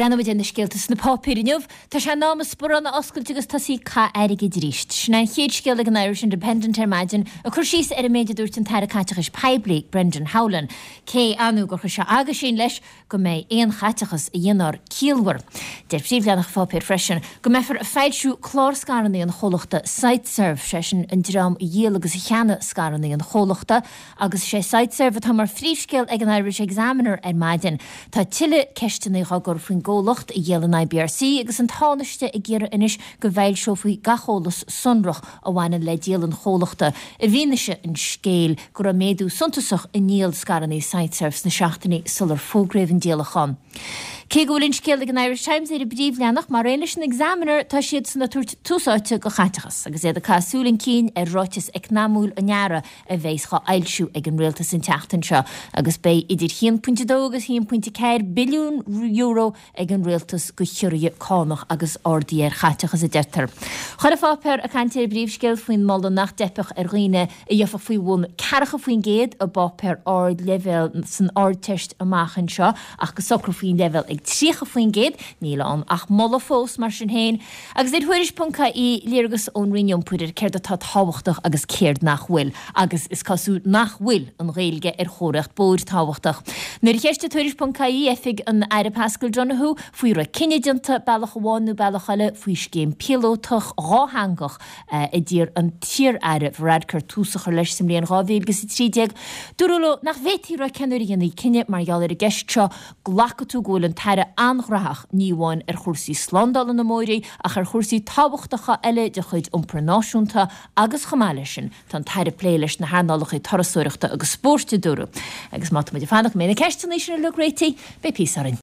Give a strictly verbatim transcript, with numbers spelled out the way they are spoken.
Breathnóimid ar na scéalta sna páipéir inniu. Tá sé in am an sparán a oscailt agus tosaí ag caitheamh airgid arís. Sin é an chéad scéal ag an Irish Independent ar maidin, ag cur síos ar an méid a dúirt an tAire Caiteachais Poiblí, Brendan Howlin, cé ar ndóigh gur chuir sé aguisín leis go mbeidh aon chaiteachas a dhéanfar ciallmhar. Deir príomhleathanach an pháipéir freisin go mbeifear ag foilsiú clár scaireanna an chomhlachta Siteserv, sé sin an dream a dhíol agus a cheannaigh scaireanna an chomhlachta, agus sé Siteserv atá mar phríomhscéal ag an Irish Examiner ar maidin. Tá tuilleadh ceisteanna á gcur faoin gcomhlacht a dhíol an I B R C agus an Tánaiste ag iarraidh anois go bhfoilseofaí gach eolas sonrach a bhaineann le díol an chomhlachta i bhfianaise an scéil go raibh méadú suntasach i ndíol scaireanna Siteserv sna seachtainí sular fógraíodh an díolachán. Cé go bhfuil an scéal ag an Irish Times ar an bpríomhleathanach mar aon leis an Examiner, tá siad san ag tabhairt tús áite do chaiteachas agus iad ag caitheamh súil chun cinn ar ráiteas eacnamaíoch an earraigh a bheidh á fhoilsiú ag an rialtas an tseachtain seo, agus beidh idir haon pointe dó agus haon pointe ceathair billiún euro ag an rialtas do chiorruithe cánach agus arduithe ar chaiteachas, a deirtear. Chuile pháipéar ag caint ar an bpríomhscéal faoin moladh nach dteipfeadh ar dhaoine a gheofadh faoi bhun ceathracha faoin gcéad i bpáipéar ardleibhéal san Ardteist amach anseo ach go socrófaí an leibhéal ag tríocha faoin gcéad. Níl ann ach moladh fós mar sin féin. Agus ar Tuairisc ponc I E, léargas ón Roinn Iompair ar céard atá tábhachtach agus céard nach bhfuil, agus is cosúil nach bhfuil an Ghaeilge ar chomharthaíocht bóthair tábhachtach. Nuair a cheistigh Tuairisc ponc I E oifig an Aire Paschal Donohoe faoi raibh cinneadh déanta bealach amháin nó bealach eile faoi scéim píolótach dhátheangach a d'iarr an t-iar-aire Varadkar tús a chur leis sa mbliain dhá mhíle agus a trí déag, dúradh leo nach bhféadfaí a rá cén uair a dhéanfaí cinneadh mar gheall ar an gceist seo. Glacfaidh tú go bhfuil an tAire an-ghnóthach, ní amháin ar chúrsaí slándála na mbóithre ach ar chúrsaí tábhachtacha eile de chuid iompar náisiúnta, agus chomh maith leis sin tá an tAire ag plé leis na hearnálacha turasóireachta agus spóirt, a dúradh. Agus má tá muid ag fanacht go mbeidh na ceisteanna sin uilig réitithe, beidh píosa orainn.